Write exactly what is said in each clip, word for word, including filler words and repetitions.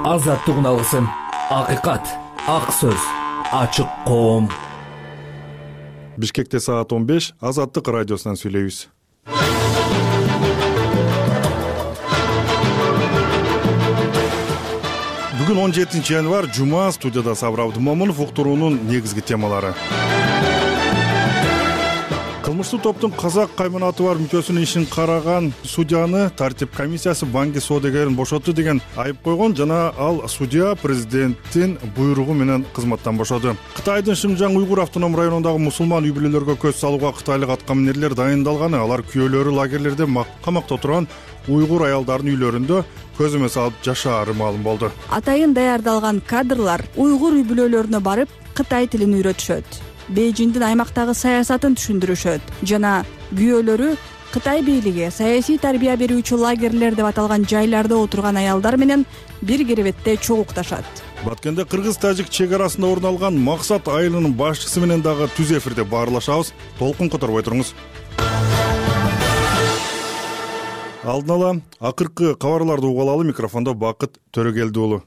Азаттык алгысым, акыйкат, ак сөз, ачык коом. Бишкекте саат он беш, Азаттык радиосунан сүйлөйбүз. Бүгүн он жетинчи январь, жума. Студияда Сабыр Абдымомунов. Уктуруунун негизги темалары. Кылмыштуу топтун казак кайманаты бар мүчөсүнүн ишин караган судьяны тартип комиссиясы банги соодагерин бошотту деген айып койгон жана ал судья президенттин буйругу менен кызматтан бошоду. Кытайдын Шыңжаң уйгур автоном районундагы мусулман үй-бүлөлөргө көз салууга кытайлык аткаминерлер дайындалганы, алар күйөөлөрү лагерлерде камакта турган уйгур аялдардын үйлөрүндө көзөмө салып жашаары маалым болду. Атайын даярдалган кадрлар уйгур үй-бүлөлөрүнө барып кытай тилин үйрөтүшөт. Бейжиңдин аймактагы саясатын түшүндүрүшөт жана күйөөлөрү Кытай бийлиги саясий тарбия берүүчү лагерлер деп аталган жайларда отурган аялдар менен бир керебетте чогукташат. Баткенде кыргыз-тажик чек арасында орун алган Максат айылынын башчысы менен дагы түз эфирде баарлашабыз. Толкун которбой туруңуз. Алдын ала акыркы кабарларды угуп алалы. Микрофондо Бакыт Төрөгелди уулу.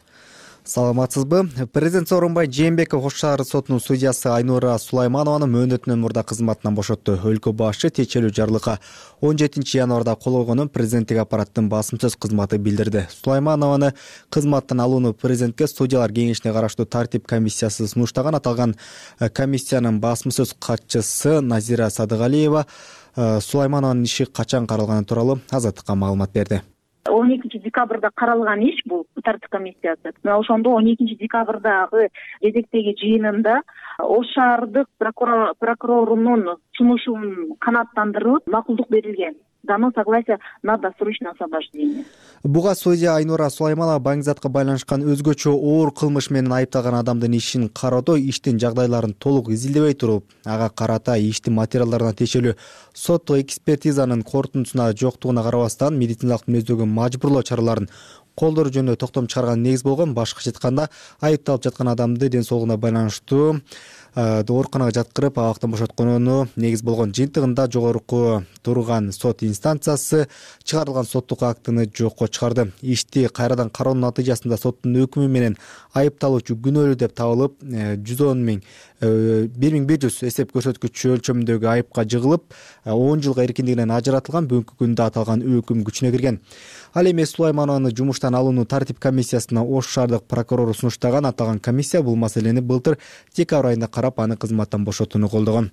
Саламатсызбы? Президент Сооронбай Жээнбеков Ош шаар сотунун судьясы Айнура Сулайманованы мөөнөтүнөн мурда кызматынан бошотту. Өлкө башчы тиешелүү жарлыкка он жетинчи январда кол койгонун президенттик аппараттын басым сөз кызматы билдирди. Сулайманованы кызматтан алууну президентке судьялар кеңешине караштуу тартип комиссиясы сунуштаган. Аталган комиссиянын басым сөз катчысы Назира Садыгалиева Сулайманованын иши качан каралганы тууралуу Азаттыкка маалымат берди. он экинчи декабрда каралган иш бул тартип комиссиясы. Мына ошондо он экинчи декабрдагы кезектеги жыйынында Ош шаардык прокурорунун сунушун канааттандырылып макулдук берилген. Дано согласие на досрочное освобождение. Буга судья Айнура Сулайманова баңгизатка байланышкан өзгөчө оор кылмыш менен айыпталган адамдын ишин кароодо иштин жагдайларын толук изилдебей туруп, ага карата иштин материалдарына тиешелүү соттук экспертизанын корутундусуна жоктугуна карабастан медициналык мүнөздөгү мажбурлоо чараларын колдоо жөнүндө токтом чыгарган негиз болгон. Башкача айтканда, айыпталып жаткан адамды ден соолугуна байланыштуу ооруканага жаткырып абактан бошотконуну негиз болгон. Жыйынтыгында жогорку турган сот инстанциясы чыгарылган соттук актыны жокко чыгарды. Ишти кайрадан кароонун натыйжасында соттун өкүмү менен айыпталуучу күнөөлүү деп табылып, жүз он миң бир миң бир жүз эсеп көрсөткүчү өлчөмүндөгү айыпка жыгылып, он жылга эркиндигинен ажыратылган. Бүгүнкү күндө аталган өкүм күчүнө кирген. Ал эми Сулайманованы жумуштан алууну тартип комиссиясына Ош шаардык прокурору сунуштаган. Аталган комиссия бул маселени былтыр декабрь айында карап, аны кызматтан бошотууну колдогон.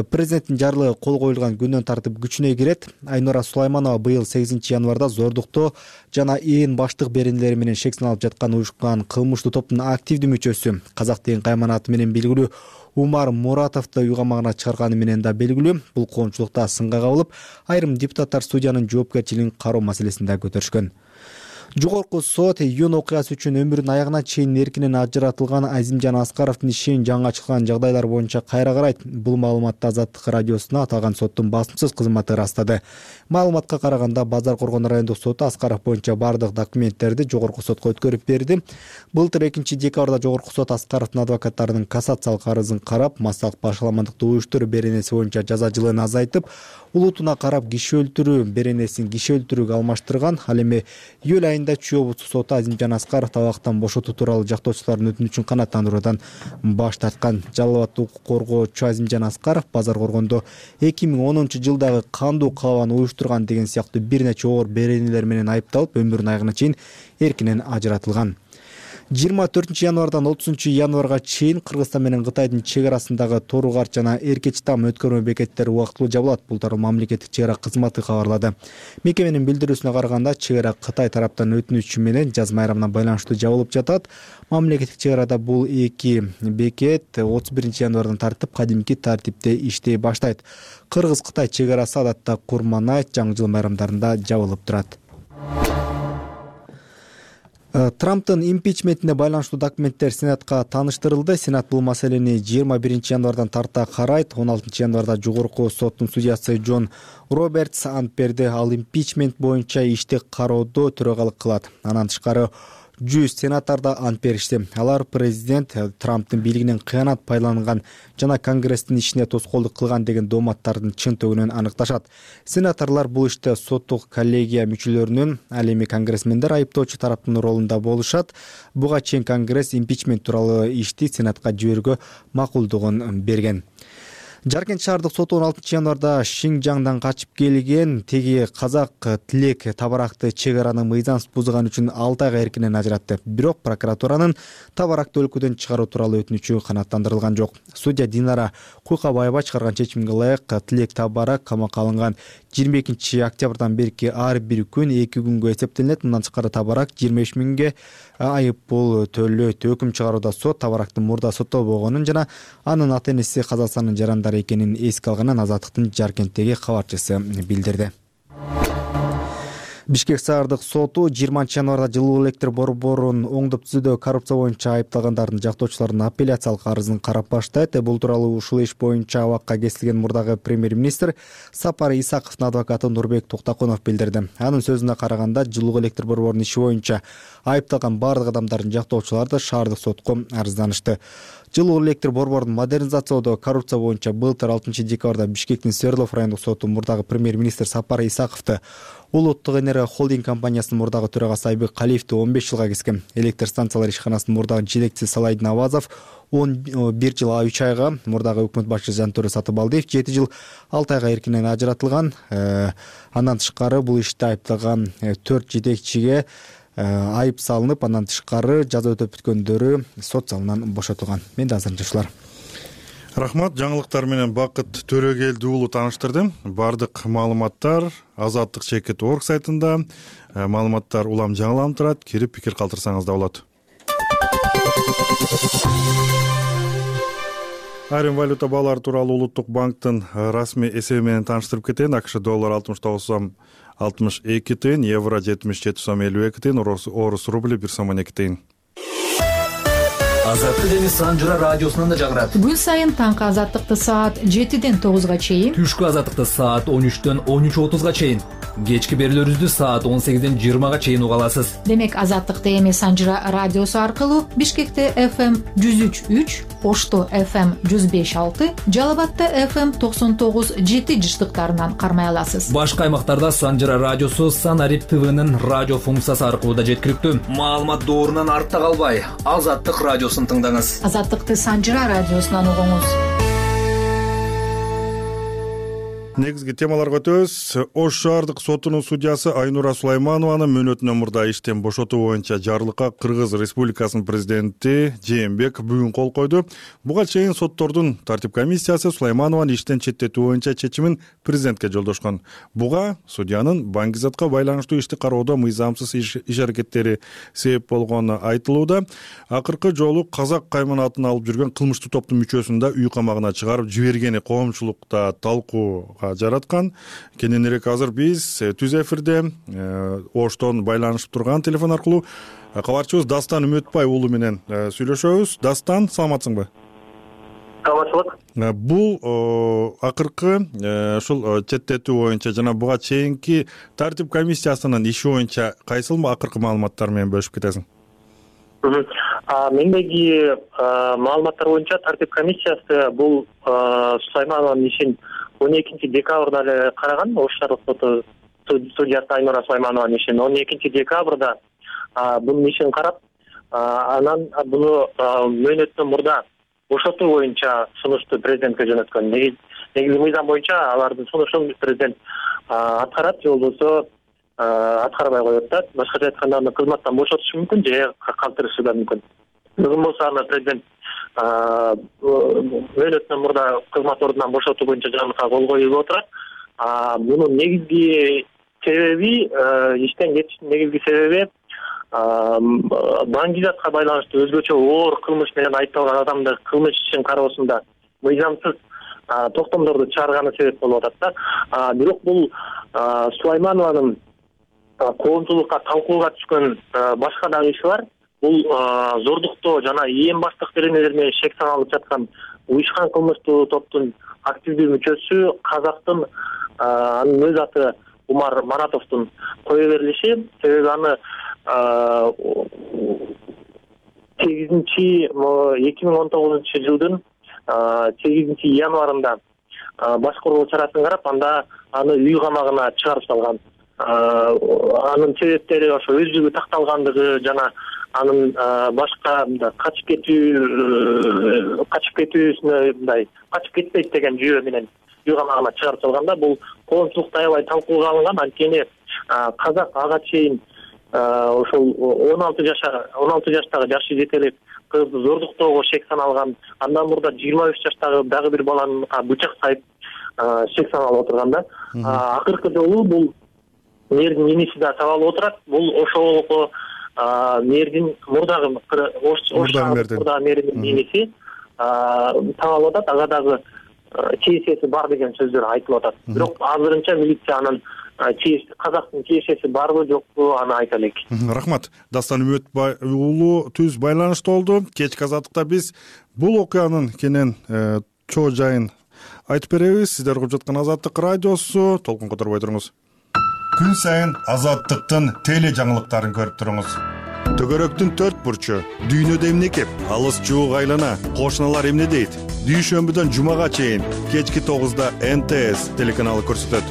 Президенттин жарлыгы кол коюлган күндөн тартып күчүнө кирет. Айнура Сулайманова быйыл сегизинчи январда зордуктоо жана ээн баштык беренелери менен шек саналып жаткан уюшкан кылмыштуу топтун активдүү мүчөсү. Казак деген кайманаты менен белгилүү Умар Муратовду үй камагына чыгарганы менен да белгилүү. Бул коомчулукта сынга кабылып, айрым депутаттар судьянын жоопкерчилигин кароо маселесин да көтөрүшкөн. Жогорку сот июнь окуясы үчүн өмүрүнүн аягына чейин эркинен ажыратылган Азимжан Аскаровдун ишин жаңы ачылган жагдайлар боюнча кайра карайт. Бул маалыматты Азаттык радиосуна аталган соттун басым сөз кызматы ырастады. Маалыматка караганда, Базар Коргон райондук соту Аскаров боюнча бардык документтерди жогорку сотко өткөрүп берди. Былтыр экинчи декабрда жогорку сот Аскаровдун адвокаттарынын кассациялык арызын карап, массалык башаламандыкты уюштуруу беренеси боюнча жаза жылын азайтып, улутуна карап киши өлтүрүү беренесин киши өлтүрүүгө алмаштырган. Ал эми июль айында Чүй облустук соту Азимжан Аскаровду абактан бошотуу тууралуу жактоочулардын өтүнүчүн канааттандыруудан баш тарткан. Жалал абад укук коргоочу Азимжан Аскаров Базар Коргондо эки миң онунчу жылдагы кандуу каалабаны уюштурган деген сыяктуу бир нече оор беренелер менен айыпталып, өмүрүнүн аягына чейин эркинен ажыратылган. жыйырма төртүнчү январдан отузунчу январга чейин Кыргызстан менен Кытайдын чек арасындагы Тору-Карт жана Эркеч-Там өткөрмө бекеттери убактылуу жабылат. Бул тууралуу мамлекеттик чек ара кызматы кабарлады. Мекеменин билдирүүсүнө караганда, чек ара Кытай тараптан өтүнүчү менен жаз майрамына байланыштуу жабылып жатат. Мамлекеттик чек арада бул эки бекет отуз биринчи январдан тартып кадимки тартипте иштей баштайт. Кыргыз-Кытай чек арасы адатта Курман-айт, жаңы жыл майрамдарында жабылып турат. Трамптын импичментине байланыштуу документтер Сенатка тааныштырылды. Сенат бул маселени жыйырма биринчи январдан тарта карайт. он алтынчы январда жогорку соттун судьясы Джон Робертс ант берди. Ал импичмент боюнча ишти кароодо төрөгалык кылат. Анан тышкары жүз сенатор да ант беришти. Алар президент Трамптын бийлигинен кыянат пайдаланган жана Конгресстин ишине тоскоолдук кылган деген дооматтардын чынтыгын аныкташат. Сенаторлор бул иште соттук коллегия мүчөлөрүнүн, ал эми конгрессмендер айыптоочу тараптын ролунда болушат. Буга чейин Конгресс импичмент тууралуу ишти Сенатка жиберүүгө макулдугун берген. Жаркент шаардык соту он алтынчы январда Шинжаңдан качып келген теги казак Тилек табаракты чек араны мыйзамсыз бузган үчүн алты айга эркинен ажыратты. Бирок прокуратуранын табаракты өлкөдөн чыгаруу тууралуу өтүнүчү канааттандырылган жок. Судья Динара Куйкабаева чыгарган чечимге ылайык Тилек табарак камакка алынган жыйырма экинчи октябрдан берки ар бир күн эки күнгө эсептелет. Мындан тышкары табарак жыйырма беш миңге айып пул төлөйт. Өкүм чыгарууда сот табарактын мурда соттолбогонун жана анын ата энеси Казакстандын жарандары экенин эске алганын Азаттыктын Жаркенттеги кабарчысы билдирди. Бишкек шаардык соту жыйырманчы январда жылуу электр борборун оңдоп түзүүдө коррупция боюнча айыпталгандардын жактоочуларынын апелляциялык арызын карап баштайт. Бул тууралуу ушул иш боюнча абакка кесилген мурдагы премьер-министр Сапар Исаковдун адвокаты Нурбек Токтокунов билдирди. Анын сөзүнө караганда, жылуу электр борборунун иши боюнча айыпталган бардык адамдардын жактоочулары да шаардык сотко арызданышты. Жылуу электр борборун модернизациялоодо коррупция боюнча былтыр алтынчы декабрда Бишкектин Свердлов райондук соту мурдагы премьер-министр Сапар Исаковду Улуттук энергия холдинг компаниясынын мурдагы төрагасы Айбек Калиевди он беш жылга кескен. Электр станциялар ишканасынын мурдагы жетекчиси Салайдин Авазов он бир жыл үч айга, мурдагы өкмөт башчысы Жантөре Сатыбалдиев жети жыл алты айга эркинен ажыратылган. Андан тышкары бул иште айыпталган төрт жетекчиге айып салынып, андан тышкары жаза өтөп бүткөндөрү сот залынан бошотулган. Мен да азыр жашылар. Рахмат, жаңылыктар менен Бакыт Төрөгелди уулу тааныштырды. Бардык маалыматтар Азаттык чекит орг сайтында. Маалыматтар улам жаңыланып турат. Кирип пикир калтырсаңыз да болот. Айрым валюта баалары тууралуу Улуттук банктын расмий эсеби менен тааныштырып кетейин. АКШ доллар алтымыш тогуз сом алтымыш эки тыйын, евро жетимиш жети сом элүү эки тыйын, орус рубли бир сом он эки тыйын. Азаттык эми Санжыра радиосунан да жагырат. Күн сайын таңкы Азаттыкты саат жетиден тогузга чейин, Түшкү Азаттыкты саат он үчтөн он үч отузга чейин, кечки берүүлөрүбүздү саат он сегизден жыйырмага чейин уга аласыз. Демек Азаттыкты эми Санжыра радиосу аркылуу Бишкекте эф эм жүз үч үч, Ошто эф эм жүз беш алты, Жалал Абадта эф эм токсон тогуз жети жыштыктарынан кармай аласыз. Башка аймактарда Санжыра радиосу Санарип ТВнын радио функциясы аркылуу да жеткиликтүү. Маалымат доорунан артта калбай, Азаттык радиосун тыңдаңыз. Азаттыкты Санжыра радиосунан угуңуз. Негизги темаларга өтөбүз. Ош шаардык сотунун судьясы Айнура Сулайманованы мөөнөтүнөн мурда иштен бошотуу боюнча жарлыкка Кыргыз Республикасынын президенти Жээнбек бүгүн кол койду. Буга чейин соттордун тартип комиссиясы Сулайманованы иштен четтетүү боюнча чечимин президентке жолдошкон. Буга судьянын Баңгизатка байланыштуу ишти кароодо мыйзамсыз иш аракеттери себеп болгону айтылууда. Акыркы жолу Казак кайманатын алып жүргөн кылмыштуу топтун мүчөсүн да үй камагына чыгарып жибергени коомчулукта талкуу жараткан. Кененирээк азыр биз түз эфирде Оштон байланышып турган телефон аркылуу кабарчыбыз Дастан Үмөтбай уулу менен сүйлөшөбүз. Дастан, саламатсыңбы? Саламатчылык. Бул акыркы ушул четтетүү боюнча жана буга чейинки тартип комиссиясынын иши боюнча кайсыл акыркы маалыматтар менен бөлүшүп кетесиң? Мендеги маалыматтар боюнча тартип комиссиясы бул Сулайманованын ишин он экинчи декабрда эле караган. Ош шаардык соту судьясы Айнура Сулайманованын ишин он экинчи декабрда бунун ишин карап, анан буну мөөнөттөн мурда бошотуу боюнча сунушту президентке жөнөткөн. Негизи мыйзам боюнча алардын сунушун президент аткарат, же болбосо аткарбай коет да. Башкача айтканда аны кызматтан бошотушу мүмкүн же калтырышы да мүмкүн. Бүгүн болсо аны президент мөөнөттөн мурда кызмат ордунан бошотуу боюнча жарлыкка кол коюп отурат. Мунун негизги себеби, иштен кетиштин негизги себеби Баңгизатка байланыштуу өзгөчө оор кылмыш менен айыпталган адамды кылмыш ишин кароосунда мыйзамсыз токтомдорду чыгарганы себеп болуп атат да. Бирок бул Сулайманованын коомчулукка талкууга түшкөн башка дагы иши бар. Бул зордуктоо жана ээн баштык беренелер менен шек саналып жаткан уюшкан кылмыштуу топтун активдүү мүчөсү Казактын, анын өз аты Умар Маратовдун кое берилиши. Себеби аны сегизинчи эки миң он тогузунчу жылдын сегизинчи январында башкаруу чарасын карап, анда аны үй камагына чыгарып салган. Анын себептери ошо өздүгү такталгандыгы жана анын башка мындай качып кетүү качып кетүүсүнө мындай качып кетпейт деген жүйө менен үй камагына чыгарып салганда, бул коомчулукта аябай талкууга алынган. Анткени казак ага чейин ошол он алты жаша он алты жаштагы жашы жетелеп кызды зордуктоого шек саналган. Андан мурда жыйырма үч жаштагы дагы бир баланы бычак сайып шек саналып отурган да. Акыркы жолу бул мэрдин иниси да табалып отурат. Бул ошол мэрдин мурдагы мурдагы мэрдин иниси табалып атат. Ага дагы чейсеси бар деген сөздөр айтылып атат. Бирок азырынча милиция анын казактын чейшеси барбы жокпу аны айта элек. Рахмат. Дастан Үмүтбай уулу түз байланышта болду. Кечки азаттыкта биз бул окуянын кенен чоо жайын айтып беребиз. Сиздер угуп жаткан Азаттык радиосу. Толкун которбой туруңуз. Күн сайын Азаттыктын теле жаңылыктарын көрүп туруңуз. Төгөрөктүн төрт бурчу, дүйнөдө эмне кеп, алыс жуук айлана, кошуналар эмне дейт? Дүйшөмбүдөн жумага чейин кечки тогузда эн тэ эс телеканалы көрсөтөт.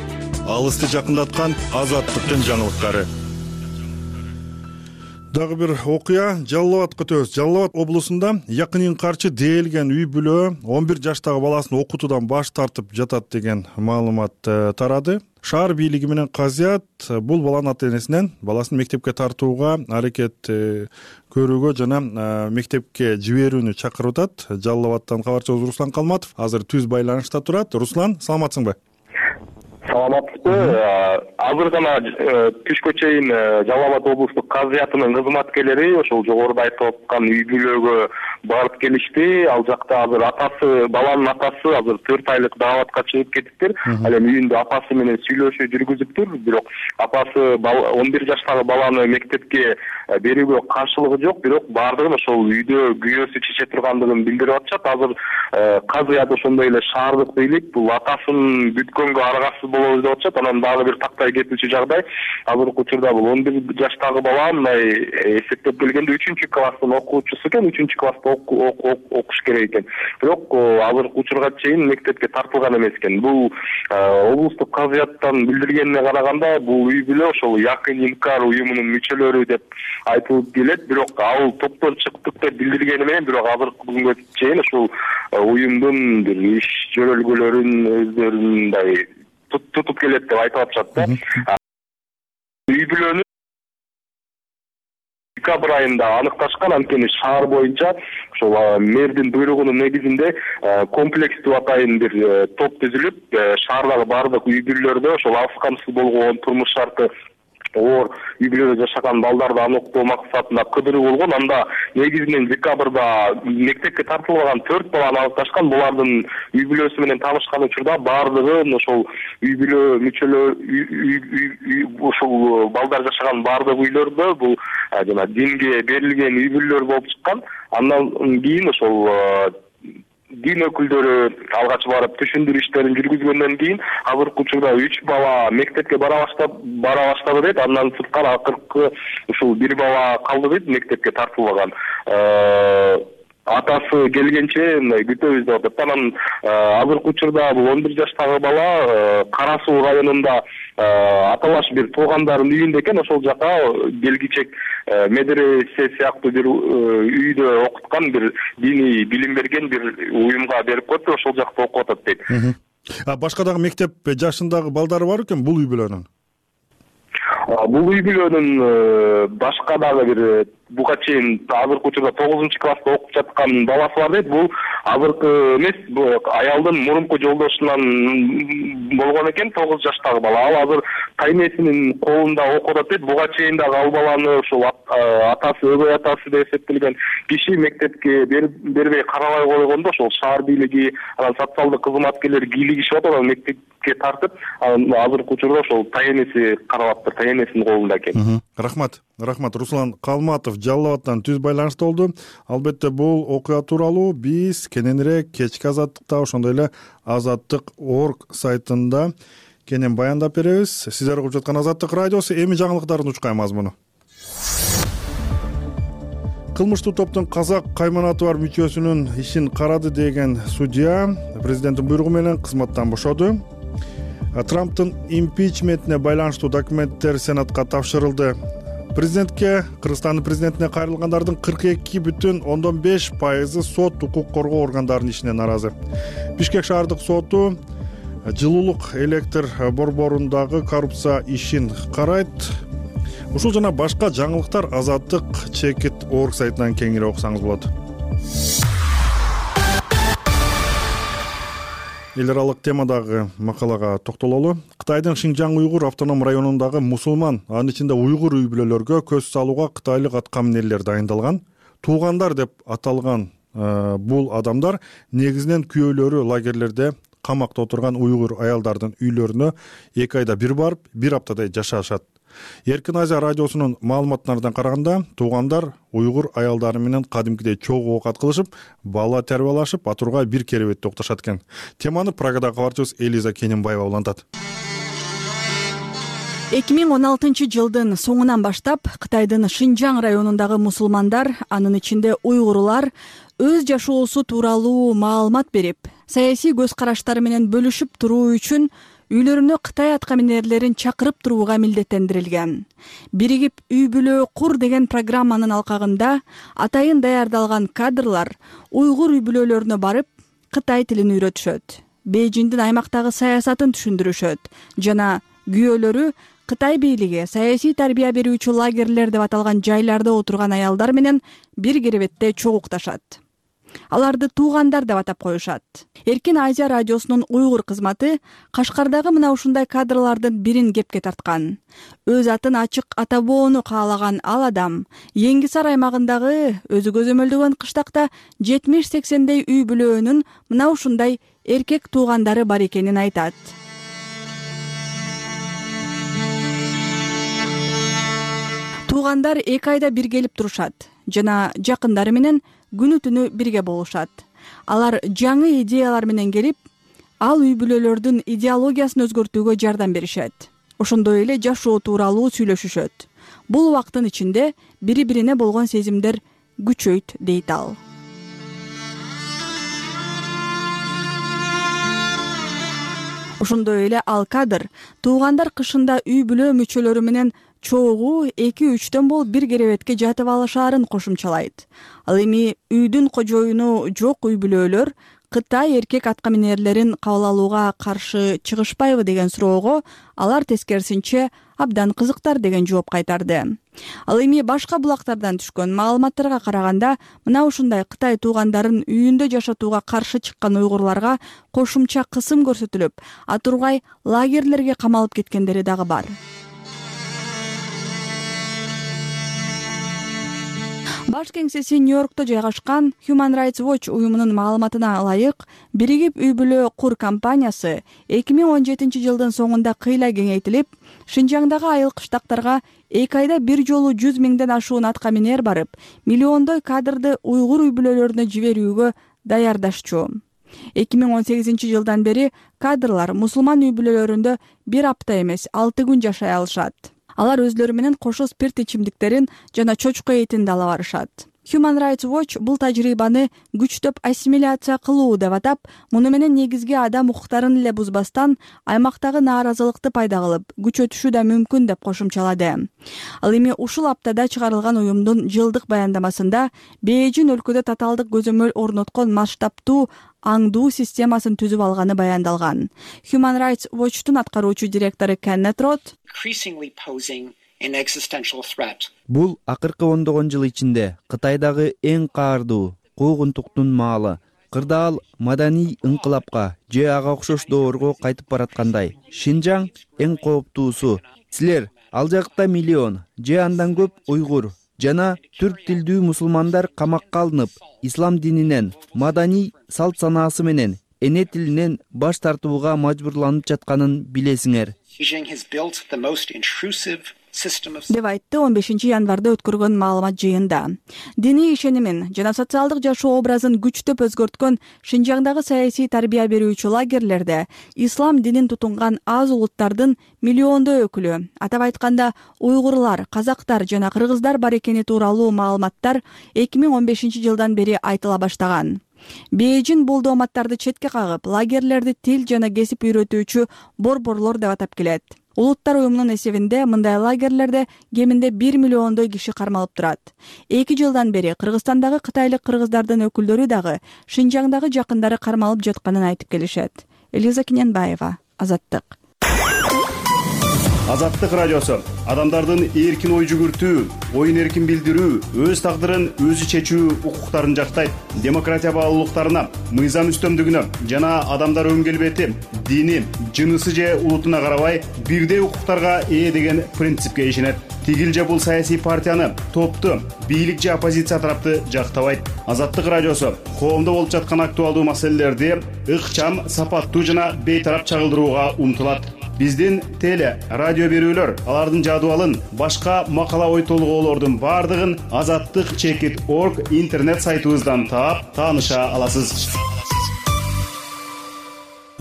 Алысты жакындаткан Азаттыктын жаңылыктары. Дагы бир окуя Жалал абадка өтөбүз. Жалал абад облусунда Якынин карчы дээлген үй бүлө он бир жаштагы баласын окутуудан баш тартып жатат деген маалымат тарады. Шаар бийлиги менен казият бул баланын ата-энесинен баласын мектепке тартууга аракет көрүүгө жана мектепке жиберүүнү чакырып атат. Жалал абадтан кабарчыбыз Руслан Калматов азыр түз байланышта турат. Руслан, саламатсыңбы? Саламатсызбы. Азыр гана түшкө чейин Жалал абад облустук казиятынын кызматкерлери ошол жогоруда айтып аткан үй бүлөгө барып келишти. Ал жакта азыр атасы, баланын атасы азыр төрт айлык дааватка чыгып кетиптир. Ал эми үйүндө апасы менен сүйлөшүү жүргүзүптүр. Бирок апасы он бир жаштагы баланы мектепке берүүгө каршылыгы жок. Бирок бардыгын ошол үйдө күйөөсү чече тургандыгын билдирип атышат. Азыр казият ошондой эле шаардык бийлик бул атасын бүткөнгө аргасыз болобуз деп атышат. Анан дагы бир тактай кетүүчү жагдай. Азыркы учурда бул он бир жаштагы бала мындай эсептеп келгенде үчүнчү класстын окуучусу экен, үчүнчү класста окуш керек экен. Бирок азыркы учурга чейин мектепке тартылган эмес экен. Бул облустук казияттан билдиргенине караганда бул үй бүлө ошол Якын Инкар уюмунун мүчөлөрү деп айтылып келет. Бирок ал топтон чыктык деп билдиргени менен бирок азыркы күнгө чейин ушул уюмдун бир иш жөрөлгөлөрүн өздөрүндай тутуп келет деп айтып атышат да. Үй бүлөнү декабрь айында аныкташкан. Анткени шаар боюнча ошол мэрдин буйругунун негизинде комплекстүү атайын бир топ түзүлүп, шаардагы бардык үй бүлөлөрдө ошол алыс камсыз болгон турмуш шарты оор үй бүлөдө жашаган балдарды аныктоо максатында кыдыруу болгон. Анда негизинен декабрда мектепке тартылбаган төрт баланы аныкташкан. Булардын үй бүлөсү менен таанышкан учурда бардыгын ошол үй бүлө мүчөлөр ошол балдар жашаган бардык үйлөрдө бул жана динге берилген үй бүлөлөр болуп чыккан. Андан кийин ошол дин өкүлдөрү алгач барып түшүндүрүү иштерин жүргүзгөндөн кийин азыркы учурда үч бала мектепке бара баштап бара баштады дейт. Андан сырткары акыркы ушул бир бала калды дейт, мектепке тартылбаган. Атасы келгенче мындай күтөбүз деп атат. Анан азыркы учурда бул он бир жаштагы бала Кара Суу районунда аталаш бир туугандардын үйүндө экен. Ошол жака белгичек медресе сыяктуу бир үйдө окуткан, бир диний билим берген бир уюмга берип коюптур. Ошол жакта окуп атат дейт. А башка дагы мектеп жашындагы балдары бар экен бул үй бүлөнүн? Бул үй бүлөнүн башка дагы бир буга чейин азыркы учурда тогузунчу класста окуп жаткан баласы бар дейт. Бул азыркы эмес, аялдын мурунку жолдошунан болгон экен, тогуз жаштагы бала. Ал азыр тайнесинин колунда окуп атат дейт. Буга чейин дагы ал баланы ушул атасы, өбөй атасы деп эсептелген киши мектепке бербей карабай койгондо ошол шаар бийлиги, анан социалдык кызматкерлер кийлигишип атат, ал мектепке тартып, азыркы учурда ошол тайенеси каралаптыр, тайенесинин колунда экен. Рахмат. Рахмат. Руслан Калматов Жалал абадтан түз байланышта болду. Албетте бул окуя тууралуу биз кененирээк кечки азаттыкта, ошондой эле азаттык точка орг сайтында кенен баяндап беребиз. Сиздер угуп жаткан Азаттык радиосу. Эми жаңылыктардын учкай мазмуну. кылмыштуу топтун казак кайманаты бар мүчөсүнүн ишин карады деген судья президенттин буйругу менен кызматтан бошоду. Трамптын импичментине байланыштуу документтер Сенатка тапшырылды. Президентке, Кыргызстандын президентине кайрылгандардын кырк эки бүтүн ондон беш пайызы сот укук коргоо органдарынын ишине нааразы. Бишкек шаардык соту жылуулук электр борборундагы коррупция ишин карайт. Ушул жана башка жаңылыктар Азаттык чекит орг сайтынан кеңири окусаңыз болот. Эл аралык темадагы макалага токтололу. Кытайдын Шинжаң уйгур автоном районундагы мусулман, анын ичинде уйгур үй-бүлөлөргө көз салууга кытайлык аткаминерлер дайындалган. Туугандар деп аталган э, бул адамдар негизинен күйөөлөрү лагерлерде камакта отурган уйгур аялдардын үйлөрүнө эки айда бир барып, бир аптадай жашашат. Эркин Азия радиосунун маалыматтарына караганда, туугандар уйгур аялдары менен кадимкидей чогуу оокат кылышып, бала тарбиялашып, атурга бир керебетте укташат экен. Теманы Прагадагы кабарчыбыз Элиза Кененбаева улантат. эки миң он алтынчы жылдын соңунан баштап Кытайдын Шинжаң районундагы мусулмандар, анын ичинде уйгурлар, өз жашоосу тууралуу маалымат берип, саясий көз караштары менен бөлүшүп туруу үчүн үйлөрүнө Кытай аткаминерлерин чакырып турууга милдеттендирилген. Биригип үй-бүлө кур деген программанын алкагында атайын даярдалган кадрлар уйгур үй-бүлөлөрүнө барып, Кытай тилин үйрөтүшөт, Бейжиңдин аймактагы саясатын түшүндүрүшөт жана күйөөлөрү Кытай бийлиги саясий тарбия берүүчү лагерлер деп аталган жайларда отурган аялдар менен бир керебетте чогукташат. Аларды туугандар деп атап коюшат. Эркин Азия радиосунун уйгур кызматы Кашкардагы мына ушундай кадрлардын бирин кепке тарткан. Өз атын ачык атабоону каалаган ал адам Еңгисар аймагындагы өзү көзөмөлдөгөн кыштакта жетимиш сексендей үй-бүлөнүн мына ушундай эркек туугандары бар экенин айтат. Туугандар эки айда бир келип турушат жана жакындары менен күнү түнү бирге болушат. Алар жаңы идеялар менен келип, ал үй-бүлөлөрдүн идеологиясын өзгөртүүгө жардам беришет. Ошондой эле жашоо тууралуу сүйлөшүшөт. Бул убакыттын ичинде бири-бирине болгон сезимдер күчөйт, дейт ал. Ошондой эле ал кадр туугандар кышында үй-бүлө мүчөлөрү менен чогуу эки-үчтөн болуп бир керебетке жатып алышаарын кошумчалайт. Ал эми үйдүн кожоюну жок үй-бүлөлөр Кытай эркек аткаминерлерин кабыл алууга каршы чыгышпайбы деген суроого алар тескерисинче абдан кызыктар деген жооп кайтарды. Ал эми башка булактардан түшкөн маалыматтарга караганда, мына ушундай Кытай туугандарын үйүндө жашатууга каршы чыккан уйгурларга кошумча кысым көрсөтүлүп, атургай лагерлерге камалып кеткендери дагы бар. Баш кеңсеси Нью-Йоркто жайгашкан Human Rights Watch уюмунун маалыматына ылайык, биригип үй-бүлө кур компаниясы эки миң он жетинчи жылдын соңунда кыйла кеңейтилип, Шинжаңдагы айыл кыштактарга эки айда бир жолу жүз миңден ашуун аткаминер барып, миллиондой кадрды уйгур үй-бүлөлөрүнө жиберүүгө даярдашчу. эки миң он сегизинчи жылдан бери кадрлар мусулман үй-бүлөлөрүндө бир апта эмес, алты күн жашай алышат. Алар өзлөрү менен кошо спирт ичимдиктерин жана чочко этин да ала барышат. Human Rights Watch бул тажрыйбаны күчтөп ассимиляция кылуу деп атап, муну менен негизги адам укуктарын эле бузбастан аймактагы нааразылыкты пайда кылып, күчөтүшү да мүмкүн деп кошумчалады. Ал эми ушул аптада чыгарылган уюмдун жылдык баяндамасында Бейжиң өлкөдө татаалдык көзөмөл орноткон масштабтуу аңдуу системасын түзүп алганы баяндалган. Human Rights Watchtун аткаруучу директору Кеннет Рот бул акыркы ондогон жыл ичинде Кытайдагы эң каардуу куугунтуктун маалы. Кырдаал маданий ыңкылапка же ага окшош доорго кайтып бараткандай. Шинжаң эң кооптуусу. Силер ал жакта миллион же андан көп уйгур жана түрк тилдүү мусулмандар камакка алынып, ислам дининен, маданий салт санаасы менен, эне тилинен баш тартууга мажбурланып жатканын билесиңер. деп айтты он бешинчи январда өткөргөн маалымат жыйынында. Диний ишенимин жана социалдык жашоо образын күчтөп өзгөрткөн Шинжаңдагы саясий тарбия берүүчү лагерлерде ислам динин тутунган аз улуттардын миллиондой өкүлү, атап айтканда уйгурлар, казактар жана кыргыздар бар экени тууралуу маалыматтар эки миң он бешинчи жылдан бери айтыла баштаган. Бейжин бул дооматтарды четке кагып, лагерлерди тил жана кесип үйрөтүүчү борборлор деп атап келет. Улуттар уюмунун эсебинде мындай лагерлерде кеминде бир миллиондой киши кармалып турат. Эки жылдан бери Кыргызстандагы кытайлык кыргыздардын өкүлдөрү дагы Шинжаңдагы жакындары кармалып жатканын айтып келишет. Элиза Киненбаева, Азаттык. Азаттык радиосу адамдардын эркин ой жүгүртүү, оюн эркин билдирүү, өз тагдырын өзү чечүү укуктарын жактайт. Демократия баалуулуктарына, мыйзам үстөмдүгүнө жана адамдар өн келбети, дини, жынысы же улутуна карабай бирдей укуктарга ээ деген принципке ишенет. Тигил же бул саясий партияны, топту, бийлик же оппозиция тарапты жактабайт. Азаттык радиосу коомдо болуп жаткан актуалдуу маселелерди ыкчам, сапаттуу жана бейтарап чагылдырууга умтулат. Биздин теле, радио берүүлөр, алардын жадыбалын, башка макала ой толгоолордун бардыгын азаттык чекит точка орг интернет сайтыбыздан таап, тааныша аласыз.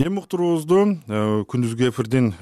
Эми уктуруубузду күндүзгү эфирдин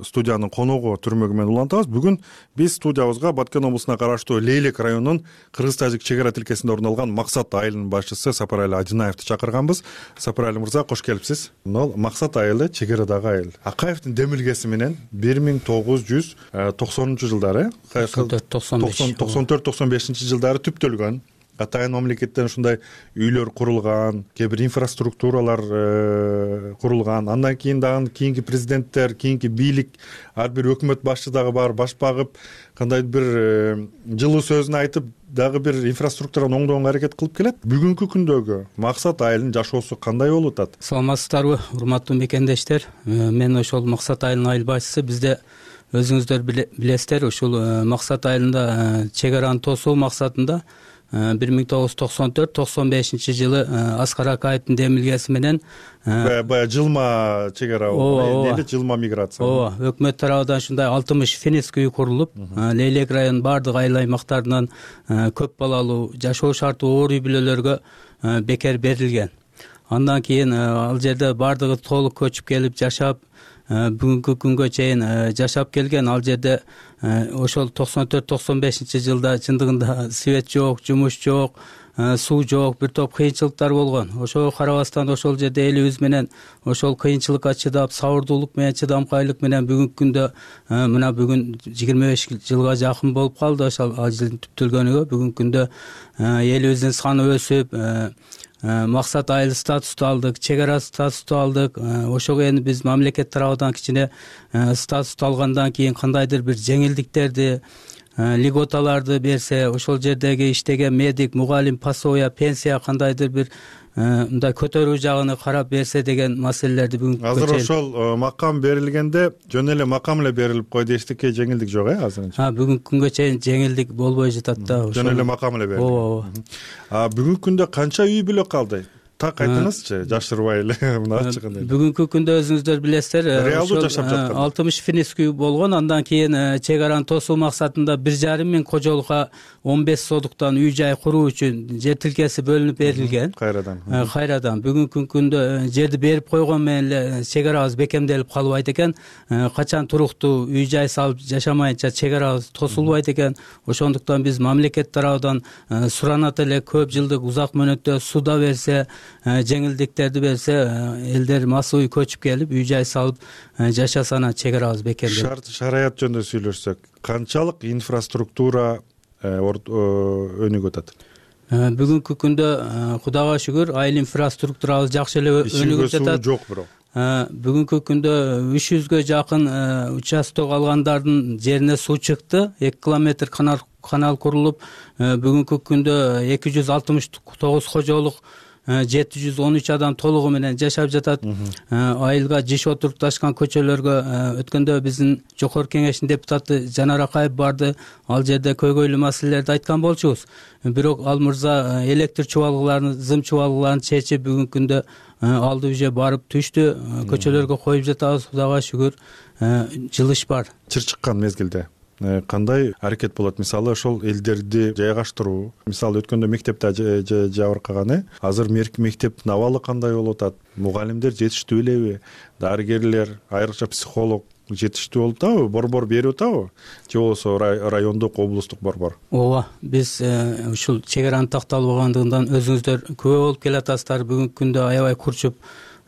студиянын коногу түрмөгү менен улантабыз. Бүгүн биз студиябызга Баткен облусуна караштуу Лейлек районунун кыргыз-тажик чек ара тилкесинде орун алган Максат айылынын башчысы Сапарали Адинаевди чакырганбыз. Сапарали мырза, кош келипсиз. Мына Максат айылы чек арадагы айыл. Акаевдин демилгеси менен бир миң тогуз жүз токсонунчу жылдары, токсон төрт токсон бешинчи жылдары түптөлгөн. Атайын мамлекеттен ушундай үйлөр курулган, кээ бир инфраструктуралар курулган. Андан кийин дагы кийинки президенттер, кийинки бийлик, ар бир өкмөт башчы дагы бар, баш багып, кандай бир жылуу сөзүн айтып, дагы бир инфраструктураны оңдоого аракет кылып келет. Бүгүнкү күндөгү Максат айылынын жашоосу кандай болуп атат? Саламатсыздарбы, урматтуу мекендештер? Мен ошол Максат айылынын айыл башчысы. Бизде өзүңүздөр билесиздер, ушул Максат айылында чек араны тосуу максатында бир миң тогуз жүз токсон төрт токсон бешинчи жылы Аскар Акаевдин демилгеси менен баягы жылма чек ара, эле жылма миграция. Ооба, өкмөт тарабынан ушундай алтымыш финиск үй курулуп, Лейлек районунун бардык айыл аймактарынан көп балалуу, жашоо шарты оор үй бүлөлөргө бекер берилген. Андан кийин ал жерде бардыгы толук көчүп келип жашап, бүгүнкү күнгө чейин жашап келген. Ал жерде ошол токсон төрт токсон бешинчи жылда чындыгында свет жок, жумуш жок, суу жок, бир топ кыйынчылыктар болгон. Ошого карабастан ошол жерде элибиз менен ошол кыйынчылыкка чыдап, сабырдуулук менен, чыдамкайлык менен бүгүнкү күндө мына бүгүн жыйырма беш жылга жакын болуп калды ошол ажылдын түптөлгөнүгө. Бүгүнкү күндө элибиздин саны өсүп, Максат айыл статусту алдык, чек ара статусту алдык. Ошого эми биз мамлекет тарабынан кичине статусту алгандан кийин кандайдыр бир жеңилдиктерди, льготаларды берсе, ошол жердеги иштеген медик, мугалим, пособия, пенсия кандайдыр бир мындай көтөрүү жагын карап берсе деген маселелерди бүгүн азыр ошол макам берилгенде жөн эле макам эле берилип койду, эчтеке жеңилдик жок, э азырынча? А бүгүнкү күнгө чейин жеңилдик болбой жатат да. Жөн эле макам эле берилди. Ооба. А бүгүнкү күндө канча үй бүлө калды? Так айтыңызчы, жашырбай эле мына ачыгын. Бүгүнкү күндө өзүңүздөр билесиздер, реалдуу жашап жаткан алтымыш финиск үй болгон. Андан кийин чек араны тосуу максатында бир жарым миң кожолукка он беш содуктан үй жай куруу үчүн жер тилкеси бөлүнүп берилген. Кайрадан. Кайрадан. Бүгүнкү күндө жерди берип койгон менен эле чек арабыз бекемделип калбайт экен. Качан туруктуу үй жай салып жашамайынча чек арабыз тосулбайт экен. Ошондуктан биз мамлекет тарабынан суранат эле көп жылдык узак мөөнөттө суда берсе, жеңилдиктерди берсе, элдер массовый көчүп келип үй жай салып жашасана чек арабыз бекемделип. Шарт шараят жөнүндө сүйлөшсөк, канчалык инфраструктура өнүгүп атат? Бүгүнкү күндө Кудайга шүгүр айыл инфраструктурабыз жакшы эле өнүгүп жатат. Жок бирок. Бүгүнкү күндө үч жүзгө жакын участок алгандардын жерине суу чыкты. эки километр канал канал курулуп, бүгүнкү күндө эки жүз алтымыш тогуз кожолук жети жүз он үч адам толугу менен жашап жатат. Айылга жиш отурукташкан көчөлөргө өткөндө биздин жогорку кеңештин депутаты Жанар Акаев барды. Ал жерде көйгөйлүү маселелерди айткан болчубуз. Бирок ал мырза электр чубалгыларын, зым чубалгыларын чечип бүгүнкү күндө алды уже барып түштү. Көчөлөргө коюп жатабыз, Кудайга шүгүр. Жылыш бар. Чыр чыккан мезгилде. кандай аракет болот? Мисалы ошол элдерди жайгаштыруу, мисалы өткөндө мектепте жабыркаган, э азыр мектептин абалы кандай болуп атат? Мугалимдер жетиштүү элеби? Дарыгерлер, айрыкча психолог жетиштүү болуп атабы? Борбор берип атабы? Же болбосо райондук, облустук борбор? ооба, биз ушул чек-аранын такталбагандыгынан өзүңүздөр күбө болуп келатасыздар. Бүгүнкү күндө аябай курчуп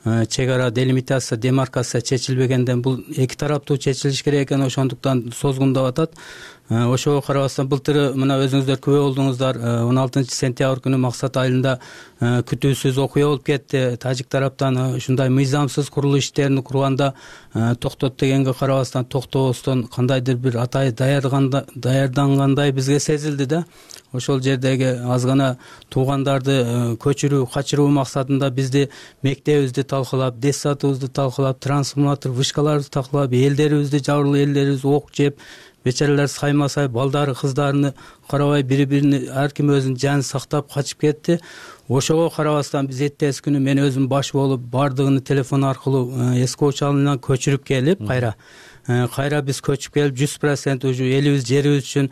чек-ара, делимитация, демаркация чечилбегенден бул эки тараптуу чечилиш керек экен, ошондуктан созгундап атат. Ошого карабастан былтыр мына өзүңүздөр күбө болдуңуздар, он алтынчы сентябрь күнү Максат айылында күтүүсүз окуя болуп кетти. Тажик тараптан ушундай мыйзамсыз курулуш иштерин курганда токтот дегенге карабастан токтобостон кандайдыр бир атай даярдангандай бизге сезилди да. Ошол жердеги аз гана туугандарды көчүрүү, качыруу максатында бизди мектебибизди талкалап, детсадыбызды талкалап, трансформатор вышкаларыбызды талкалап, элдерибизди, жабырлуу элдерибиз ок жеп, бечаралар саймасай, балдары, кыздарыны карабай, бири-бирини ар ким өзүнүн жанын сактап качып кетти. Ошого карабастан биз эртеси күнү мен өзүм баш болуп бардыгын телефон аркылуу эски учалынан көчүрүп келип, кайра кайра биз көчүп келип жүз процент ушу элибиз, жерибиз үчүн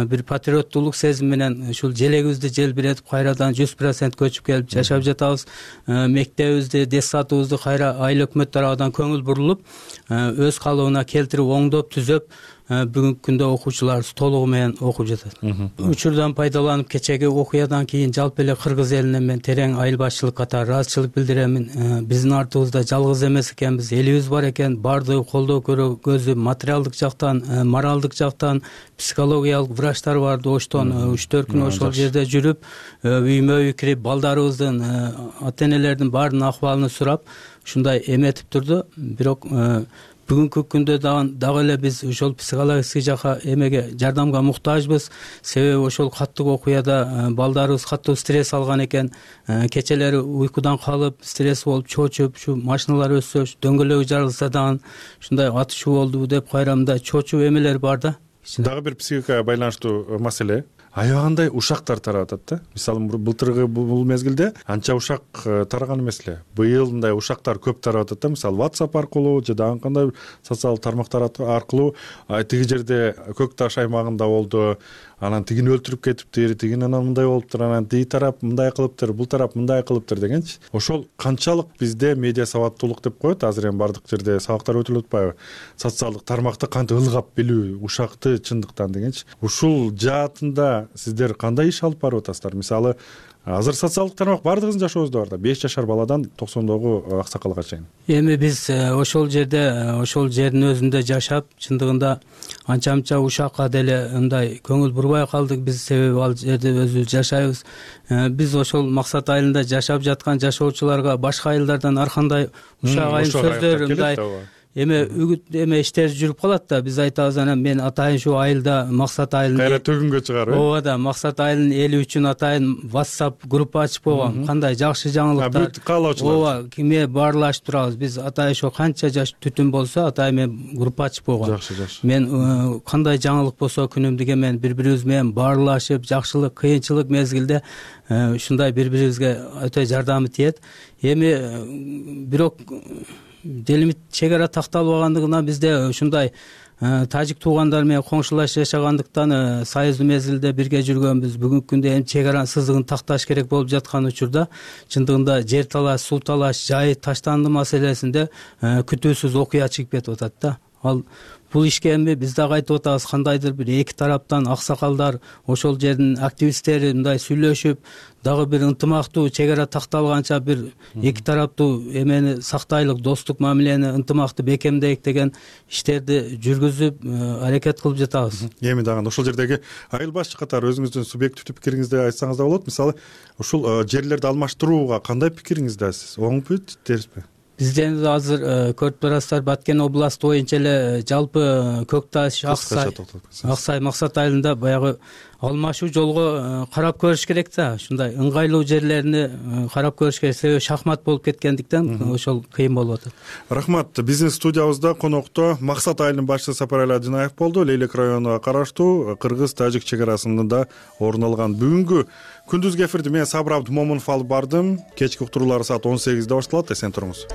бир патриоттуулук сезим менен ушул желегибизди желбиретип кайрадан жүз процент көчүп келип жашап жатабыз. Мектебибизди, детсадыбызды кайра айыл өкмөт тарабынан көңүл бурулуп, өз калыбына келтирип, оңдоп, түзөп, бүгүнкү күндө окуучуларыбыз толугу менен окуп жатат. Учурдан пайдаланып кечеги окуядан кийин жалпы эле кыргыз элине мен терең айыл башчылык катары ыраазычылык билдиремин. Биздин артыбызда жалгыз эмес экенбиз, элибиз бар экен. Бардыгы колдоо көргөзүп, материалдык жактан, моралдык жактан, психологиялык врачтар бар. Оштон үч төрт күн ошол жерде жүрүп, үймө үй кирип, балдарыбыздын, ата энелердин баардын акыбалын сурап, ушундай эметип турду. Бирок бүгүнкү күндө дагы эле биз ошол психологический жака эмеге жардамга муктажбыз. Себеби ошол каттуу окуяда балдарыбыз каттуу стресс алган экен. Кечелери уйкудан калып, стресс болуп чочуп, ушу машиналар өссө, дөңгөлөгү жарылса дагы ушундай атышуу болду деп кайра мындай чочуу эмелер бар да. Дагы бир психикага байланыштуу маселе. Аябагандай ушактар тарап атат да. Мисалы былтыркы бул мезгилде анча ушак тараган эмес эле. Быйыл мындай ушактар көп тарап атат да. Мисалы WhatsApp аркылуу же дагы кандай социалдык тармактар аркылуу тиги жерде Көк Таш аймагында болду, анан тигини өлтүрүп кетиптир, тигин анан мындай болуптур, анан тиги тарап мындай кылыптыр, бул тарап мындай кылыптыр дегенчи. Ошол канчалык бизде медиа сабаттуулук деп коет, азыр эми бардык жерде сабактар өтүлүп атпайбы? Социалдык тармакты кантип ылгап билүү, ушакты чындыктан дегенчи. Ушул жаатында сиздер кандай иш алып барып атасыздар? Мисалы, азыр социалдык тармак бардыгыбыздын жашообузда бар да, беш жашар баладан токсондогу аксакалга чейин. Эми биз ошол жерде, ошол жердин өзүндө жашап, чындыгында анча-мынча ушакка деле мындай көңүл бурбай калдык биз, себеби ал жерде өзүбүз жашайбыз. Биз ошол Максат айылында жашап жаткан жашоочуларга башка айылдардан ар кандай ушак айыл сөздөр мындай эме үгүт эме иштер жүрүп калат да. Биз айтабыз, анан мен атайын шу айылда Максат айылын кайра төгүнгө чыгар, э? Ооба да, Максат айылынын эли үчүн атайын WhatsApp группа ачып койгом. Кандай жакшы жаңылыктар. Бүт каалоочулар. Ооба, кимге баарлашып турабыз. Биз атайын ошо канча жаш түтүн болсо, атайын мен группа ачып койгом. Жакшы, жакшы. Мен кандай жаңылык болсо күнүмдүк эмен бири-бирибиз менен баарлашып, жакшылык, кыйынчылык мезгилде ушундай бири-бирибизге өтө жардамы тиет. Эми бирок делимит чек-ара такталбагандыгынан бизде ушундай тажик туугандар менен коңшулаш жашагандыктан союздуу мезгилде бирге жүргөнбүз. Бүгүнкү күндө эми чек-аранын сызыгын такташ керек болуп жаткан учурда чындыгында жер талаш, суу талаш, жай таштанды маселесинде күтүүсүз окуя чыгып кетип атат да. Ал бул ишке эми биз дагы айтып атабыз, кандайдыр бир эки тараптан аксакалдар, ошол жердин активисттери мындай сүйлөшүп, дагы бир ынтымактуу чек-ара такталганча бир эки тараптуу эмени сактайлык, достук мамилени ынтымакты бекемдейик деген иштерди жүргүзүп аракет кылып жатабыз. Эми дагы ошол жердеги айыл башчы катары өзүңүздүн субъективдүү пикириңизди айтсаңыз да болот. Мисалы, ушул жерлерди алмаштырууга кандай пикириңиздесиз? Оңбу, терсизби? Бизден азыр көрүп турасыздар, Баткен областы боюнча эле жалпы Көк Таш, Аксай, Аксай, Максат айылында баягы алмашуу жолго карап көрүш керек да. Ушундай ыңгайлуу жерлерине карап көрүш керек, себеби шахмат болуп кеткендиктен ошол кыйын болуп атат. Рахмат. Биздин студиябызда конокто Максат айылынын башчысы Сапарали Адинаев болду. Лейлек районуна караштуу кыргыз-тажик чек арасында орун алган бүгүнкү күндүзгү эфирди мен Сабыр Абдымомунов алып бардым. Кечки уктуруулар саат он сегизде башталат. Эсен туруңуз.